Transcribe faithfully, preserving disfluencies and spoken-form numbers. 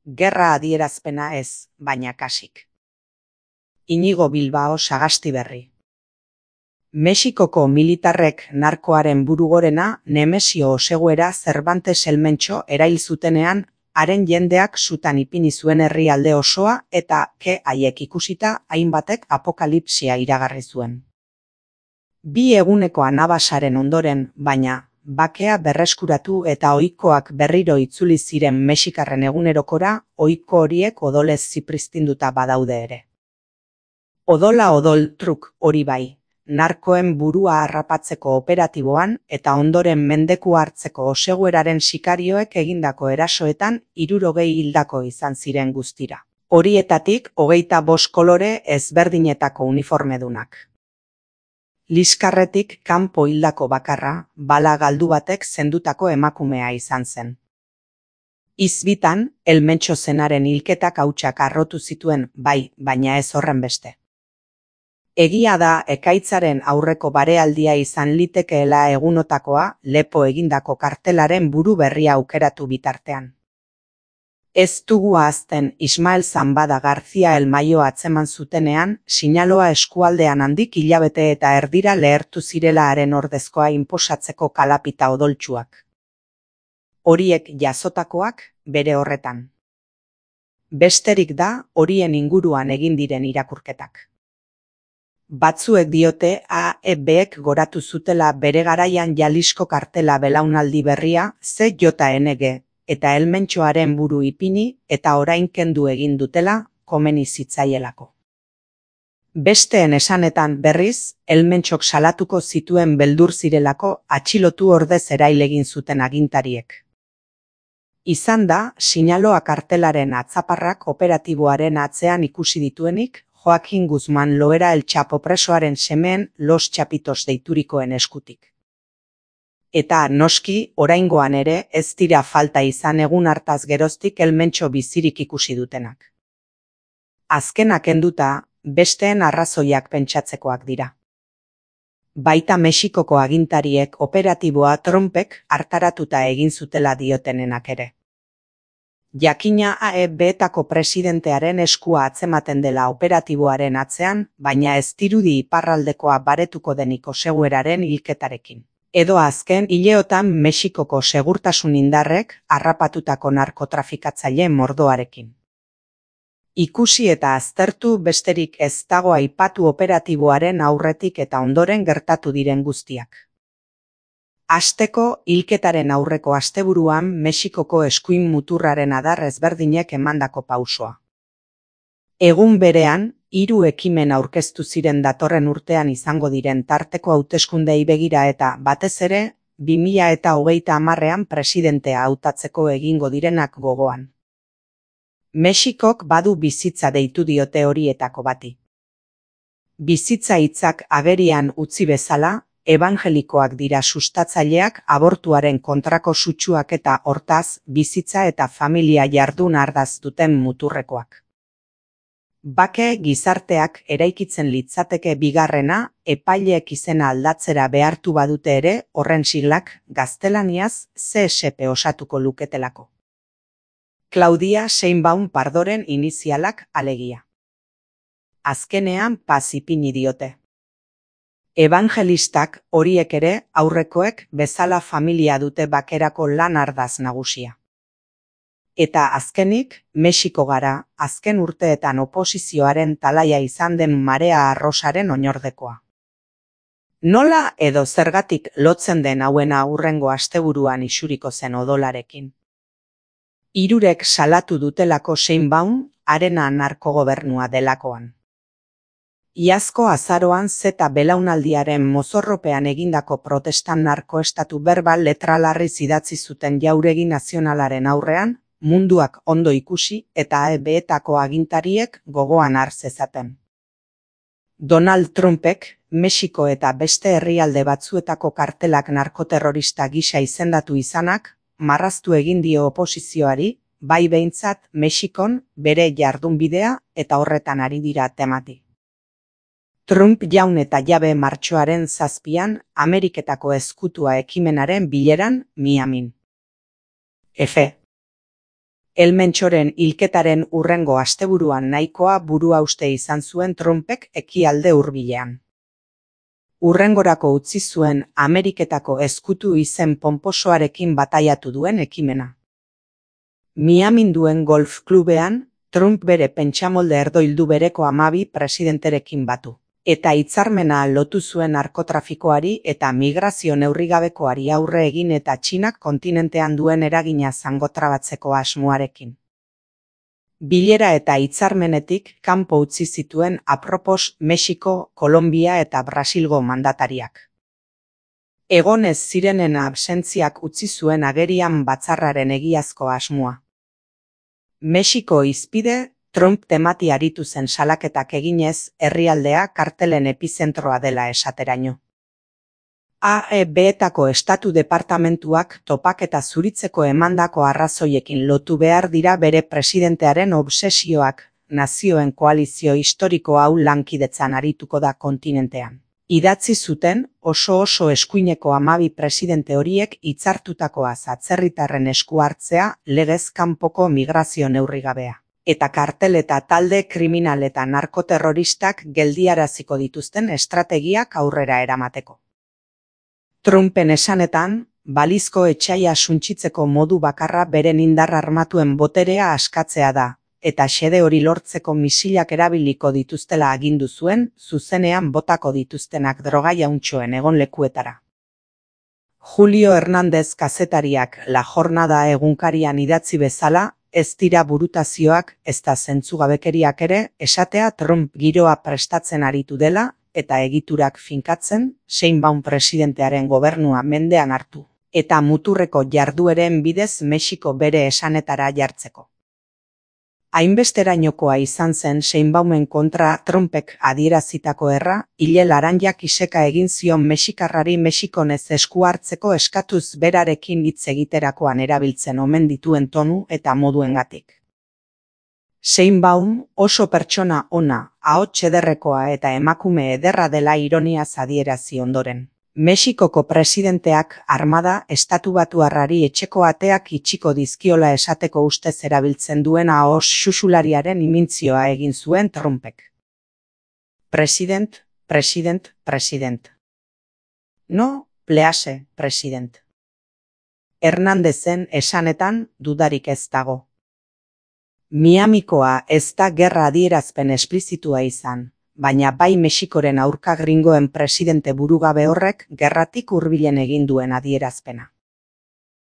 Gerra adierazpena ez, baina kasik. Inigo Bilbao Sagastiberri. Mexikoko militarrek narkoaren burugorena Nemesio Oseguera Cervantes Elmentxo erail zutenean, haren jendeak sutan ipini zuen herrialde osoa eta ke haiek ikusita hainbatek apokalipsia iragarri zuen. Bi eguneko anabasaren ondoren, baina, bakea berreskuratu eta ohikoak berriro itzuli ziren mexikarren egunerokora, ohiko horiek odolez zipristinduta badaude ere. Odola odol truk hori bai, narkoen burua harrapatzeko operatiboan eta ondoren mendeku hartzeko Osegueraren sikarioek egindako erasoetan hirurogei hildako izan ziren guztira. Horietatik hogeita bost kolore ezberdinetako uniformedunak. Liskarretik kanpo hildako bakarra, bala galdu batek zendutako emakumea izan zen. Izbitan, Elmentxo zenaren hilketak hautsak harrotu zituen, bai, baina ez horren beste. Egia da ekaitzaren aurreko barealdia izan litekeela egunotakoa lepo egindako kartelaren buru berria aukeratu bitartean. Ez dugu ahazten Ismael Zambada García Elmaio atzeman zutenean, Sinaloa eskualdean handik hilabete eta erdira lehertu zirela haren ordezkoa inposatzeko kalapita odoltsuak. Horiek jasotakoak bere horretan. Besterik da horien inguruan egin diren irakurketak. Batzuek diote A E Bek goratu zutela bere garaian Jalisco kartela belaunaldi berria Z J N G, eta Elmentxoaren buru ipini eta orain kendu egin dutela komeni zitzaielako. Besteen esanetan berriz, Elmentxok salatuko zituen beldur zirelako atxilotu ordez erail egin zuten agintariek. Izan da, Sinaloa kartelaren atzaparrak operatiboaren atzean ikusi dituenik, Joaquin Guzman Loera El Chapo presoaren semeen Los Chapitos deiturikoen eskutik. Eta, noski, oraingoan ere ez dira falta izan egun hartaz geroztik Elmentxo bizirik ikusi dutenak. Azkenak enduta, besteen arrazoiak pentsatzekoak dira. Baita Mexikoko agintariek operatiboa Trumpek hartaratuta egin zutela diotenenak ere. Jakina A E Betako presidentearen eskua atzematen dela operatiboaren atzean, baina ez dirudi iparraldekoa baretuko denik Osegueraren hilketarekin. Edo azken hileotan Mexikoko segurtasun indarrek harrapatutako narkotrafikatzaile mordoarekin. Ikusi eta aztertu besterik ez dago aipatu operatiboaren aurretik eta ondoren gertatu diren guztiak. Hasteko, hilketaren aurreko asteburuan Mexikoko eskuin muturraren adar ezberdinek emandako pausoa. Egun berean, hiru ekimen aurkeztu ziren datorren urtean izango diren tarteko hauteskundei begira eta, batez ere, bi mila eta hogeita hamarrean presidentea hautatzeko egingo direnak gogoan. Mexikok badu bizitza deitu diote horietako bati. Bizitza hitzak agerian utzi bezala, ebangelikoak dira sustatzaileak abortuaren kontrako sutsuak eta hortaz, bizitza eta familia jardun ardaz duten muturrekoak. Bake gizarteak eraikitzen litzateke bigarrena, epaileek izena aldatzera behartu badute ere, horren siglak gaztelaniaz C S P osatuko luketelako. Claudia Sheinbaum Pardoren inizialak alegia. Azkenean paz ipini diote. Evangelistak horiek ere aurrekoek bezala familia dute bakerako lan ardaz nagusia. Eta azkenik, Mexiko gara, azken urteetan oposizioaren talaia izan den Marea Arrosaren oinordekoa. Nola edo zergatik lotzen den hauena hurrengo asteburuan isuriko zen odolarekin. Hirurek salatu dutelako Sheinbaum, harena narkogobernua delakoan. Iazko azaroan zeta belaunaldiaren mozorropean egindako protestan narkoestatu berbal letralarriz idatzi zuten jauregi nazionalaren aurrean, munduak ondo ikusi eta A E Betako agintariek gogoan har zezaten. Donald Trumpek, Mexiko eta beste herrialde batzuetako kartelak narkoterrorista gisa izendatu izanak, marraztu egin dio oposizioari, bai behintzat Mexikon bere jardunbidea eta horretan ari dira temati. Trump jaun eta jabe martxoaren zazpian Ameriketako ezkutua ekimenaren bileran Miamin. F. Elmentxoren hilketaren hurrengo asteburuan nahikoa buruhauste izan zuen Trumpek ekialde hurbilean. Hurrengorako utzi zuen Ameriketako ezkutu izen ponposoarekin bataiatu duen ekimena. Miamin duen golf klubean, Trump bere pentsamolde erdoildu bereko hamabi presidenterekin batu, eta hitzarmena lotu zuen narkotrafikoari eta migrazio neurrigabekoari aurre egin eta Txinak kontinentean duen eragina zangotrabatzeko asmoarekin. Bilera eta hitzarmenetik kanpo utzi zituen apropos Mexiko, Kolombia eta Brasilgo mandatariak. Egon ez zirenen absentziak utzi zuen agerian batzarraren egiazko asmoa. Mexiko hizpide, Trump temati aritu zen salaketak eginez, herrialdea kartelen epizentroa dela esateraino. A E B-etako estatu departamentuak topaketa zuritzeko emandako arrazoiekin lotu behar dira bere presidentearen obsesioak, nazioen koalizio historiko hau lankidetzan arituko da kontinentean. Idatzi zuten oso oso eskuineko hamabi presidente horiek hitzartutakoaz atzerritarren esku hartzea legez kanpoko migrazio neurrigabea, eta kartel eta talde kriminal eta narkoterroristak geldiaraziko dituzten estrategiak aurrera eramateko. Trumpen esanetan, balizko etsaia suntsitzeko modu bakarra beren indar armatuen boterea askatzea da, eta xede hori lortzeko misilak erabiliko dituztela agindu zuen, zuzenean botako dituztenak droga jauntxoen egon lekuetara. Julio Hernández kazetariak La Jornada egunkarian idatzi bezala, ez dira burutazioak, ezta zentzugabekeriak ere, esatea Trump giroa prestatzen aritu dela, eta egiturak finkatzen, Sheinbaum presidentearen gobernua mendean hartu, eta muturreko jardueren bidez Mexiko bere esanetara jartzeko. Hainbesterainokoa izan zen Sheinbaumen kontra Trumpek adierazitako erra, hile laranjak iseka egin zion mexikarrari Mexikonez esku hartzeko eskatuz berarekin hitz egiterakoan erabiltzen omen dituen tonu eta moduengatik. Sheinbaum oso pertsona ona, ahots ederrekoa eta emakume ederra dela ironiaz adierazi ondoren. Mexikoko presidenteak armada estatubatuarrari etxeko ateak itxiko dizkiola esateko ustez erabiltzen duen ahos xuxulariaren imintzioa egin zuen Trumpek. President, president, president. No, please, president. Hernandezen esanetan dudarik ez dago. Miamikoa ez da gerra adierazpen esplizitua izan, baina bai Mexikoren aurka gringoen presidente burugabe horrek gerratik hurbilen egin duen adierazpena.